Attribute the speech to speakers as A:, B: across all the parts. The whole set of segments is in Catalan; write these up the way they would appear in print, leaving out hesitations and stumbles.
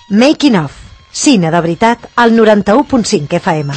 A: Making of. Cine de veritat al 91.5 FM.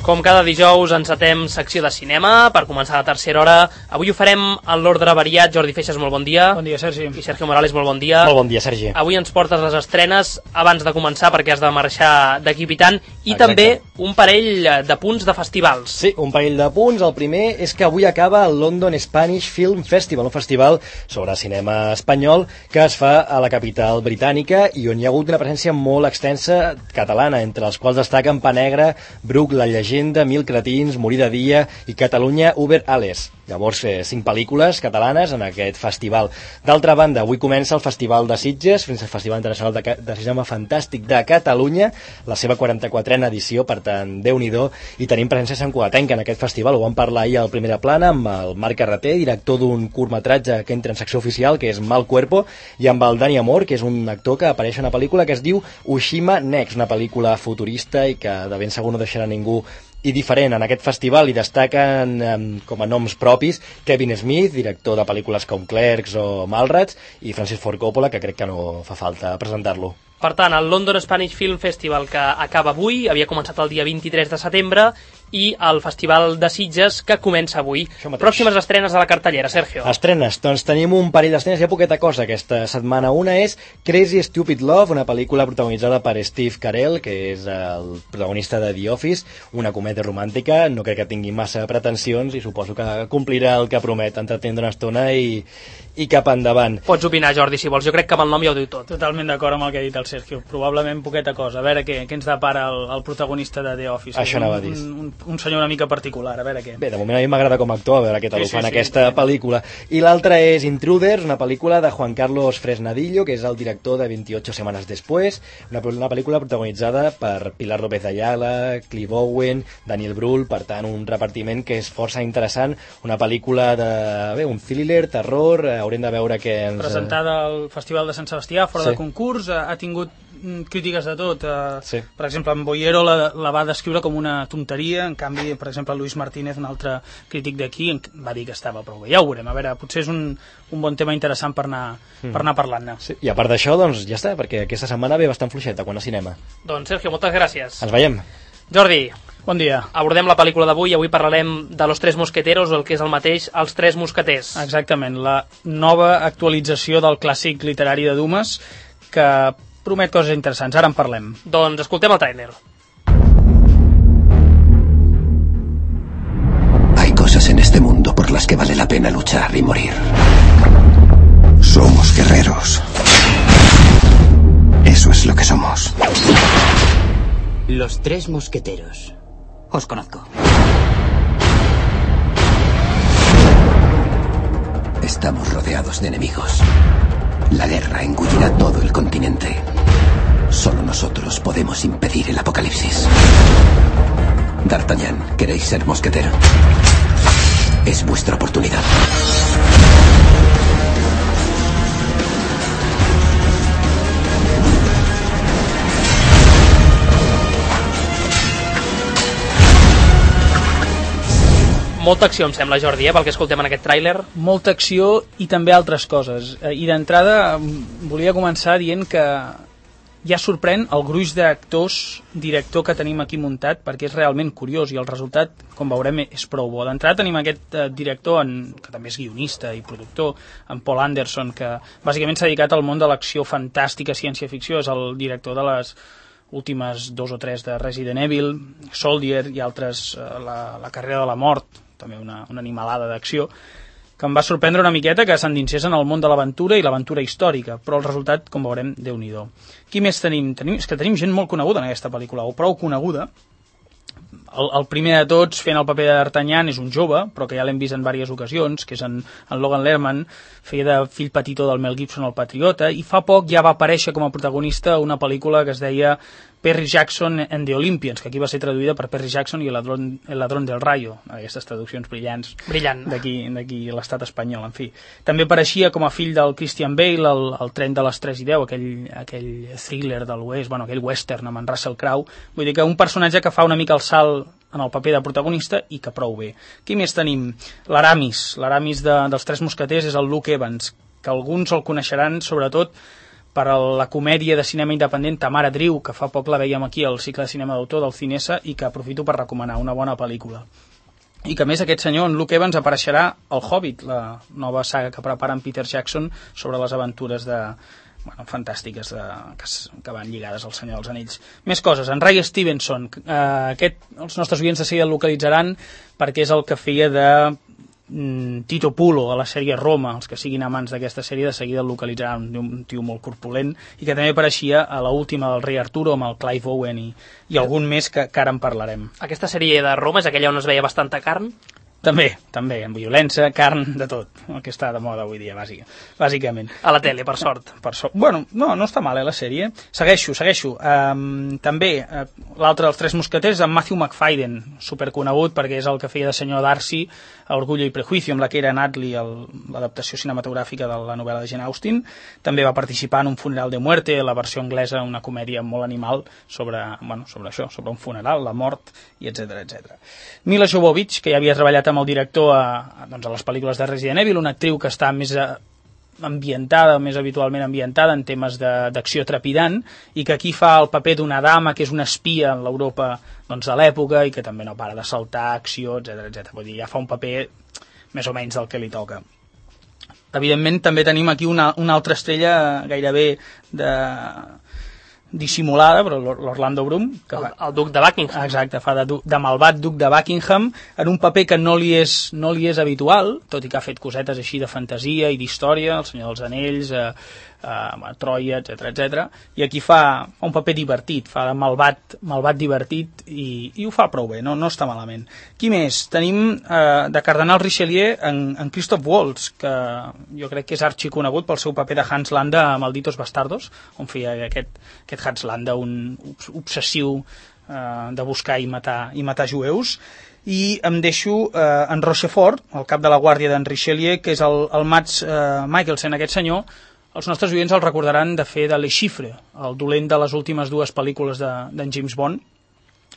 B: Com cada dijous encetem secció de cinema per començar la tercera hora. Avui ho farem en l'ordre variat. Jordi Feixas, molt bon dia.
C: Bon dia, Sergi.
B: I Sergio Morales, molt bon dia.
D: Molt bon dia, Sergi.
B: Avui ens portes les estrenes abans de començar perquè has de marxar d'aquí pitant. I
D: exacte,
B: també un parell de punts de festivals.
D: Sí, un parell de punts. El primer és que avui acaba el London Spanish Film Festival, un festival sobre cinema espanyol que es fa a la capital britànica i on hi ha hagut una presència molt extensa catalana, entre els quals destaquen Pa Negra, Bruc, La Llegenda, Mil cretins, Morir de dia i Catalunya Uber Alles. Llavors, 5 pel·lícules catalanes en aquest festival. D'altra banda, avui comença el Festival de Sitges, el Festival Internacional de Cinema Fantàstic de Catalunya, la seva 44a edició, per tant, Déu-n'hi-do, i tenim presència santcugatenca en aquest festival. Ho vam parlar ahir a la primera plana amb el Marc Carreter, director d'un curtmetratge que entra en secció oficial, que és Mal Cuerpo, i amb el Dani Amor, que és un actor que apareix en una pel·lícula que es diu Ushima Next, una pel·lícula futurista i que de ben segur no deixarà ningú i diferent. En aquest festival hi destaquen com a noms propis Kevin Smith, director de pel·lícules com Clerks o Mallrats, i Francis Ford Coppola, que crec que no fa falta presentar-lo.
B: Per tant, el London Spanish Film Festival, que acaba avui, havia començat el dia 23 de setembre, i el Festival de Sitges, que comença avui. Pròximes estrenes a la cartellera, Sergio.
D: Estrenes, doncs tenim un parell d'estrenes, hi ha poqueta cosa aquesta setmana. Una és Crazy Stupid Love, una pel·lícula protagonitzada per Steve Carell, que és el protagonista de The Office, una comèdia romàntica. No crec que tingui massa pretensions i suposo que complirà el que promet, entretenir una estona i cap endavant.
B: Pots opinar, Jordi, si vols. Jo crec que amb el nom ja ho diu tot.
C: Totalment d'acord amb el que ha dit el Sergio. Probablement poqueta cosa. A veure què ens depara el protagonista de The Office.
D: Això anava a dir.
C: Un senyor una mica particular, a veure què.
D: Bé, de moment a mi m'agrada com a actor, a veure què tal ho fa en aquesta pel·lícula. I l'altra és Intruders, una pel·lícula de Juan Carlos Fresnadillo, que és el director de 28 setmanes després, una pel·lícula protagonitzada per Pilar López de Ayala, Clive Owen, Daniel Brühl, per tant un repartiment que és força interessant, una pel·lícula de un thriller, terror, haurem de veure què ens...
C: Presentada al Festival de Sant Sebastià, fora de concurs, ha tingut crítiques de tot.
D: Sí.
C: Per exemple, en Boyero la va descriure com una tonteria, en canvi, per exemple, Luis Martínez, un altre crític d'aquí, va dir que estava prou bé. Ja ho veurem, a veure, potser és un bon tema interessant per anar parlant-ne.
D: Sí. I a part d'això, doncs ja està, perquè aquesta setmana ve bastant fluixeta quan a cinema.
B: Doncs Sergio, moltes gràcies.
D: Ens veiem.
B: Jordi,
C: bon dia.
B: Abordem la pel·lícula d'avui. Avui parlarem de Los Tres Mosqueteros, o el que és el mateix, Els Tres Mosqueters.
C: Exactament, la nova actualització del clàssic literari de Dumas, que promet coses interessants. Ara en parlem.
B: Doncs escoltem el tràiler.
E: Hay cosas en este mundo por las que vale la pena luchar y morir. Somos guerreros. Eso es lo que somos.
F: Los Tres Mosqueteros. Os conozco.
E: Estamos rodeados de enemigos. La guerra engullirá todo el continente. Solo nosotros podemos impedir el apocalipsis. D'Artagnan, ¿queréis ser mosquetero? Es vuestra oportunidad.
B: Molta acció, em sembla, Jordi, pel que escoltem en aquest tràiler.
C: Molta acció i també altres coses. I d'entrada volia començar dient que ja sorprèn el gruix d'actors, director que tenim aquí muntat, perquè és realment curiós i el resultat, com veurem, és prou bo. D'entrada tenim aquest director, que també és guionista i productor, en Paul Anderson, que bàsicament s'ha dedicat al món de l'acció fantàstica, ciència-ficció, és el director de les últimes 2 o 3 de Resident Evil, Soldier i altres, la carrera de la mort, també una animalada d'acció, que em va sorprendre una miqueta que s'endinsés en el món de l'aventura i l'aventura històrica, però el resultat, com veurem, Déu-n'hi-do. Qui més tenim? És que tenim gent molt coneguda en aquesta pel·lícula, o prou coneguda. El primer de tots fent el paper d'Artagnan és un jove, però que ja l'hem vist en diverses ocasions, que és en Logan Lerman, feia de fill petitó del Mel Gibson al Patriota, i fa poc ja va aparèixer com a protagonista una pel·lícula que es deia Perry Jackson and the Olympians, que aquí va ser traduïda per Perry Jackson i el ladrón del rayo, aquestes traduccions brillants d'aquí a l'estat espanyol, en fi. També apareixia com a fill del Christian Bale, el Tren de les 3 i 10, aquell thriller de l'Oest, aquell western amb en Russell Crowe. Vull dir que un personatge que fa una mica el salt en el paper de protagonista i que prou bé. Qui més tenim? L'Aramis dels Tres Mosqueters és el Luke Evans, que alguns el coneixeran sobretot per la comèdia de cinema independent Tamara Drew, que fa poc la veiem aquí al cicle de cinema d'autor del Cinesa i que aprofito per recomanar, una bona pel·lícula. I que a més aquest senyor, en Luke Evans, apareixerà al Hobbit, la nova saga que prepara en Peter Jackson sobre les aventures fantàstiques que van lligades al Senyor dels Anells. Més coses, en Ray Stevenson, els nostres oients de seguida el localitzaran perquè és el que feia de Tito Pulo a la sèrie Roma. Els que siguin amants d'aquesta sèrie de seguida el localitzaran, un tio molt corpulent i que també apareixia a l'última del Rei Arturo amb el Clive Owen i algun més que ara en parlarem.
B: Aquesta sèrie de Roma és aquella on es veia bastanta carn?
C: També, amb violència, carn, de tot, el que està de moda avui dia, bàsicament.
B: A la tele, per sort.
C: Bueno, no està mal, la sèrie. Segueixo. També, l'altre dels Tres Mosqueters, en Matthew Macfadyen, superconegut perquè és el que feia de senyor Darcy a Orgullo i Prejuicio, amb la que era Natli, l'adaptació cinematogràfica de la novel·la de Jane Austen. També va participar en Un funeral de muerte, la versió anglesa, una comèdia molt animal sobre això, sobre un funeral, la mort, i etc. Mila Jovovich, que ja havia treballat amb el director a les pel·lícules de Resident Evil, una actriu que està més habitualment ambientada en temes d'acció trepidant i que aquí fa el paper d'una dama que és una espia en l'Europa de l'època i que també no para de saltar, acció, etc. Vull dir, ja fa un paper més o menys del que li toca. Evidentment també tenim aquí una altra estrella gairebé dissimulada, però l'Orlando Bloom, que
B: el duc de Buckingham.
C: Exacte, fa de malvat duc de Buckingham en un paper que no li és habitual, tot i que ha fet cosetes així de fantasia i d'història, El Senyor dels Anells, Troia, etc. I aquí fa un paper divertit, fa de malvat divertit i ho fa prou bé, no està malament. Qui més? Tenim de Cardenal Richelieu en Christoph Waltz, que jo crec que és arxiconegut pel seu paper de Hans Landa a Malditos Bastardos, on feia aquest Hans Landa, un obsessiu de buscar i matar jueus. I em deixo en Rochefort, el cap de la guàrdia d'en Richelieu, que és el Mads Mikkelsen, aquest senyor. Els nostres oients el recordaran de fer de Le Chiffre, el dolent de les últimes dues pel·lícules d'en James Bond.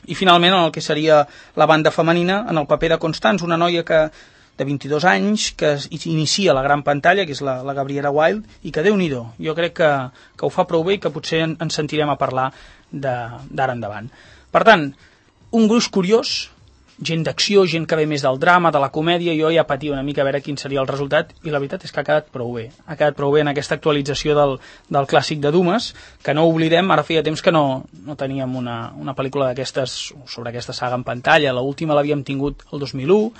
C: I finalment, en el que seria la banda femenina, en el paper de Constance, una noia de 22 anys que inicia la gran pantalla, que és la Gabriela Wilde, i que Déu-n'hi-do, jo crec que ho fa prou bé i que potser ens sentirem a parlar d'ara endavant. Per tant, un gruix curiós, gent d'acció, gent que ve més del drama, de la comèdia. Jo ja patia una mica a veure quin seria el resultat i la veritat és que ha quedat prou bé. Ha quedat prou bé en aquesta actualització del clàssic de Dumas, que no oblidem, ara feia temps que no teníem una pel·lícula d'aquestes sobre aquesta saga en pantalla. L'última l'havíem tingut el 2001,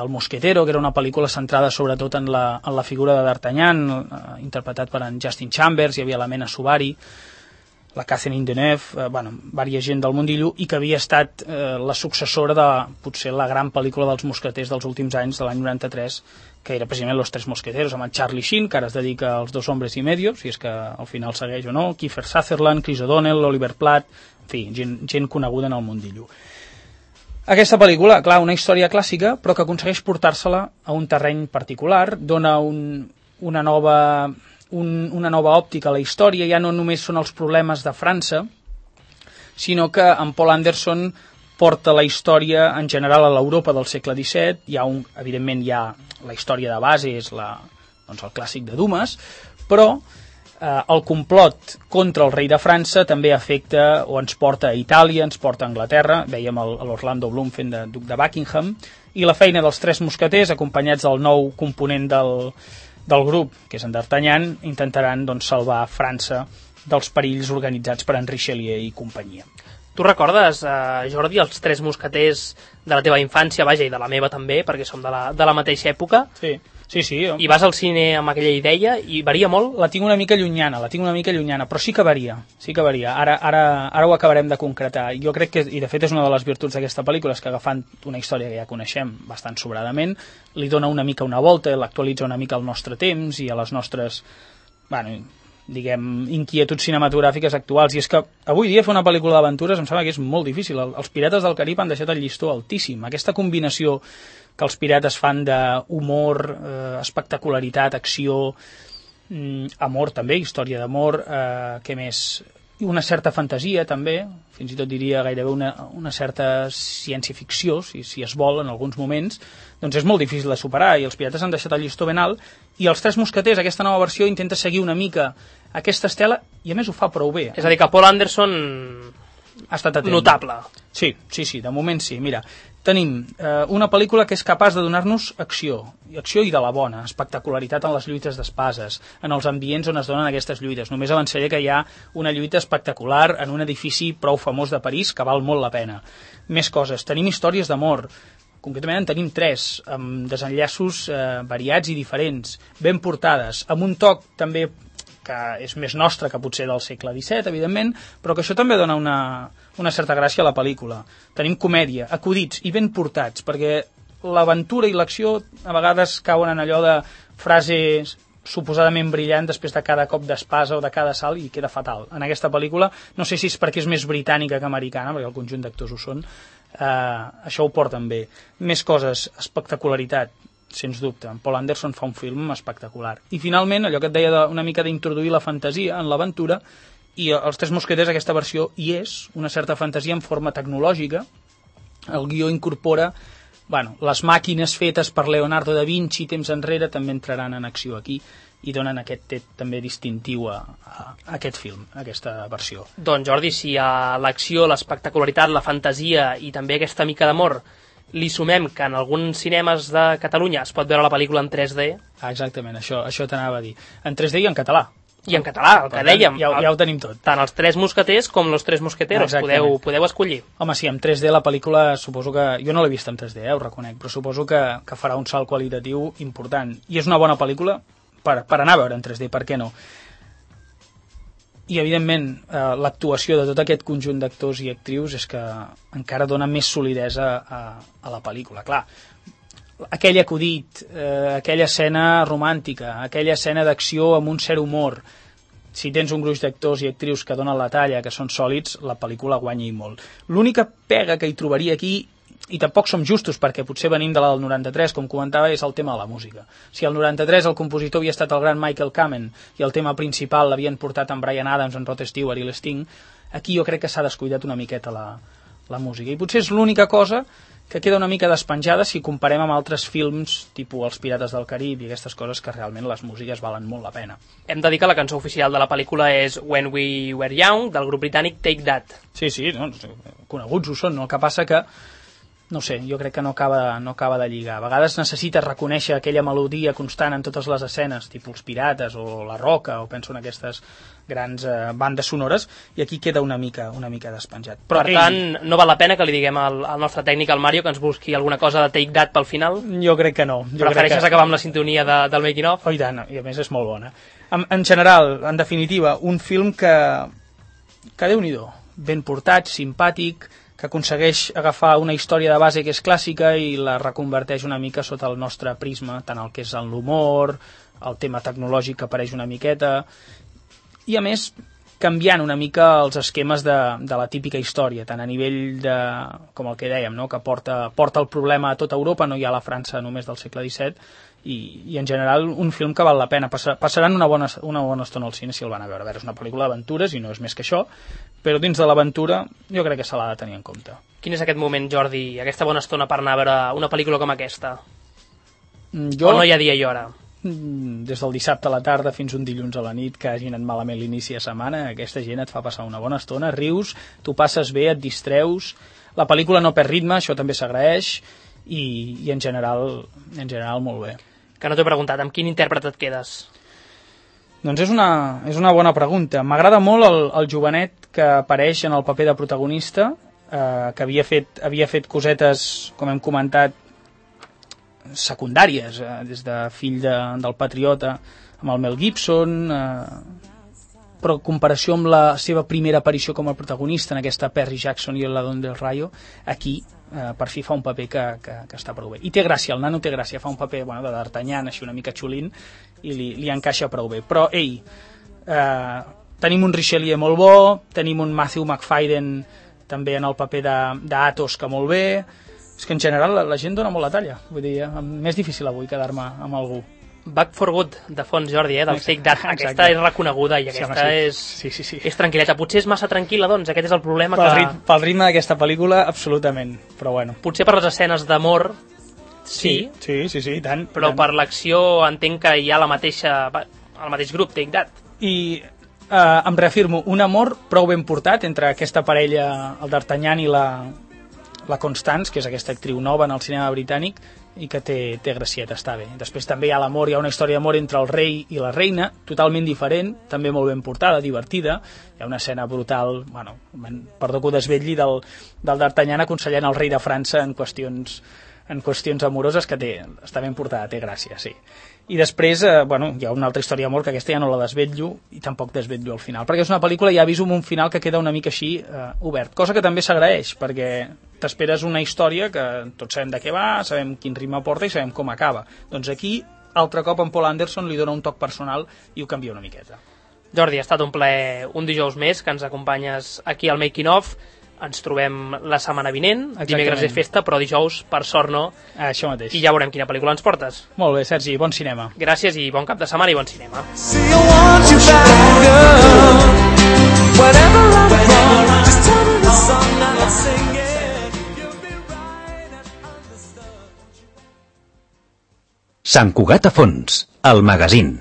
C: El Mosquetero, que era una pel·lícula centrada sobretot en la figura de D'Artagnan, interpretat per en Justin Chambers, hi havia la Mena Suvari, la Catherine Deneuve, vària gent del mundillo, i que havia estat la successora de potser la gran pel·lícula dels mosqueters dels últims anys, de l'any 93, que era precisament Los Tres Mosqueteros, amb en Charlie Sheen, que ara es dedica als Dos Hombres y Medio, si és que al final segueix o no, Kiefer Sutherland, Chris O'Donnell, Oliver Platt, en fi, gent coneguda en el mundillo. Aquesta pel·lícula, clar, una història clàssica, però que aconsegueix portar-se-la a un terreny particular, dona una nova òptica a la història. Ja no només són els problemes de França, sinó que en Paul Anderson porta la història en general a l'Europa del segle XVII. Evidentment hi ha la història de base, és el clàssic de Dumas, però el complot contra el rei de França també afecta o ens porta a Itàlia, ens porta a Anglaterra. Vèiem l'Orlando Bloom fent de duc de Buckingham, i la feina dels Tres Mosqueters, acompanyats del nou component del grup, que és en D'Artagnan, intentaran salvar França dels perills organitzats per en Richelieu i companyia.
B: Tu recordes, Jordi, els Tres Mosqueters de la teva infància, vaja, i de la meva també, perquè som de la mateixa època?
C: Sí.
B: I vas al cine amb aquella idea i varia molt?
C: La tinc una mica llunyana, però sí que varia. Ara ho acabarem de concretar. Jo crec que, i de fet és una de les virtuts d'aquesta pel·lícula, és que agafant una història que ja coneixem bastant sobradament, li dona una mica una volta, l'actualitza una mica al nostre temps i a les nostres, inquietuds cinematogràfiques actuals. I és que avui dia fer una pel·lícula d'aventures em sembla que és molt difícil. Els Pirates del Carib han deixat el llistó altíssim. Aquesta combinació que els pirates fan d'humor, espectacularitat, acció, amor també, història d'amor, què més? una certa fantasia també, fins i tot diria gairebé una certa ciència-ficció, si es vol en alguns moments, doncs és molt difícil de superar i els pirates han deixat el llistó ben alt i els Tres Mosqueters, aquesta nova versió, intenta seguir una mica aquesta estela i a més ho fa prou bé.
B: És a dir, que Paul Anderson
C: ha estat atent.
B: Notable.
C: Sí, de moment sí. Mira, tenim una pel·lícula que és capaç de donar-nos acció i de la bona, espectacularitat en les lluites d'espases, en els ambients on es donen aquestes lluites. Només avançaré que hi ha una lluita espectacular en un edifici prou famós de París que val molt la pena. Més coses, tenim històries d'amor, concretament en tenim 3, amb desenllaços variats i diferents, ben portades, amb un toc també que és més nostre que potser del segle XVII, evidentment, però que això també dona una certa gràcia a la pel·lícula. Tenim comèdia, acudits i ben portats, perquè l'aventura i l'acció a vegades cauen en allò de frases suposadament brillant després de cada cop d'espasa o de cada salt i queda fatal. En aquesta pel·lícula, no sé si és perquè és més britànica que americana, perquè el conjunt d'actors ho són, això ho porten bé. Més coses, espectacularitat, sens dubte. Paul Anderson fa un film espectacular. I finalment, allò que et deia una mica d'introduir la fantasia en l'aventura, i els Tres Mosqueters, aquesta versió, hi és una certa fantasia en forma tecnològica. El guió incorpora les màquines fetes per Leonardo da Vinci temps enrere també entraran en acció aquí i donen aquest tret també distintiu a aquest film, a aquesta versió.
B: Doncs Jordi, si a l'acció, l'espectacularitat, la fantasia i també aquesta mica d'amor li sumem que en alguns cinemes de Catalunya es pot veure la pel·lícula en 3D...
C: Exactament, això t'anava a dir. En 3D i en català.
B: I en català, el que dèiem.
C: Ja ho tenim tot.
B: Tant els Tres Mosqueters com los Tres Mosqueteros. Podeu escollir.
C: Home, sí, en 3D la pel·lícula suposo que... Jo no l'he vist en 3D, ho reconec, però suposo que farà un salt qualitatiu important. I és una bona pel·lícula per anar a veure en 3D, per què no? I, evidentment, l'actuació de tot aquest conjunt d'actors i actrius és que encara dona més solidesa a la pel·lícula. Clar, aquell acudit, aquella escena romàntica, aquella escena d'acció amb un cert humor, si tens un gruix d'actors i actrius que donen la talla, que són sòlids, la pel·lícula guanya i molt. L'única pega que hi trobaria aquí, i tampoc som justos perquè potser venim de la del 93, com comentava, és el tema de la música. Si al 93 el compositor havia estat el gran Michael Kamen i el tema principal l'havien portat en Bryan Adams, en Rod Stewart i l'Sting, aquí jo crec que s'ha descuidat una miqueta la música. I potser és l'única cosa que queda una mica despenjada si comparem amb altres films tipus Els Pirates del Carib i aquestes coses que realment les músiques valen molt la pena.
B: Hem de dir que la cançó oficial de la pel·lícula és When We Were Young, del grup britànic Take That.
C: Sí, coneguts ho són, no? El que passa que no sé, jo crec que no acaba de lligar. A vegades necessites reconèixer aquella melodia constant en totes les escenes, tipus Els Pirates o La Roca, o penso en aquestes grans bandes sonores, i aquí queda una mica despenjat.
B: Però, per tant, no val la pena que li diguem al nostre tècnic, al Mario, que ens busqui alguna cosa de Take That pel final?
C: Jo crec que no.
B: Prefereixes acabar amb la sintonia del making of?
C: Oh, i tant, i a més és molt bona. En general, en definitiva, un film que Déu-n'hi-do, ben portat, simpàtic, que aconsegueix agafar una història de base que és clàssica i la reconverteix una mica sota el nostre prisma, tant el que és l'humor, el tema tecnològic que apareix una miqueta, i a més canviant una mica els esquemes de la típica història, tant a nivell de, com el que dèiem, no? Que porta el problema a tota Europa, no hi ha la França només del segle XVII, i en general un film que val la pena. Passaran una bona estona al cine si el van a veure. És una pel·lícula d'aventures i no és més que això, però dins de l'aventura jo crec que se l'ha de tenir en compte.
B: Quin és aquest moment, Jordi, aquesta bona estona per anar a veure una pel·lícula com aquesta? O no hi ha dia i hora?
C: Des del dissabte a la tarda fins un dilluns a la nit que hagin anat malament l'inici de setmana, aquesta gent et fa passar una bona estona, rius, tu passes bé, et distreus, la pel·lícula no perd ritme, això també s'agraeix, i en general molt bé.
B: Que no t'he preguntat, amb quin intèrpret et quedes?
C: Doncs és una bona pregunta. M'agrada molt el jovenet que apareix en el paper de protagonista, que havia fet cosetes, com hem comentat, secundàries, des de fill del Patriota amb el Mel Gibson, però en comparació amb la seva primera aparició com a protagonista en aquesta Perry Jackson i la Don del Rayo, aquí per fi fa un paper que està prou bé. I té gràcia, el nano té gràcia, fa un paper de d'Artagnan, així una mica xulín, i li encaixa prou bé. Però, tenim un Richelieu molt bo, tenim un Matthew McFadden també en el paper d'Athos, que molt bé. És que en general la gent dona molt la talla, vull dir, m'és difícil avui quedar-me amb algú.
B: Back for Good, de fons, Jordi, del Take That. Aquesta és reconeguda i aquesta és tranquil·leta. Potser és massa tranquil·la, doncs, aquest és el problema
C: pel ritme d'aquesta pel·lícula, absolutament, però bueno.
B: Potser per les escenes d'amor, sí,
C: tant.
B: Però per l'acció entenc que hi ha el mateix grup, Take That.
C: I em reafirmo, un amor prou ben portat entre aquesta parella, el d'Artagnan i la Constance, que és aquesta actriu nova en el cinema britànic, i que té gracieta, està bé. Després també hi ha l'amor, hi ha una història d'amor entre el rei i la reina, totalment diferent, també molt ben portada, divertida. Hi ha una escena brutal, bueno, perdó que ho desvetlli, del d'Artagnan aconsellant el rei de França en qüestions amoroses, que està ben portada, té gràcia, sí. I després, hi ha una altra història d'amor, que aquesta ja no la desvetllo, i tampoc desvetllo al final, perquè és una pel·lícula, ja aviso, amb un final que queda una mica així obert, cosa que també s'agraeix, perquè t'esperes una història que tots sabem de què va, sabem quin ritme porta i sabem com acaba. Doncs aquí, altre cop, en Paul Anderson li dona un toc personal i ho canvia una miqueta.
B: Jordi, ha estat un plaer un dijous més que ens acompanyes aquí al Making Of. Ens trobem la setmana vinent, dimecres és festa, però dijous, per sort no.
C: Això mateix.
B: I ja veurem quina pel·lícula ens portes.
C: Molt bé, Sergi, bon cinema.
B: Gràcies i bon cap de setmana i bon cinema.
G: Sant Cugat a fons, el magazín.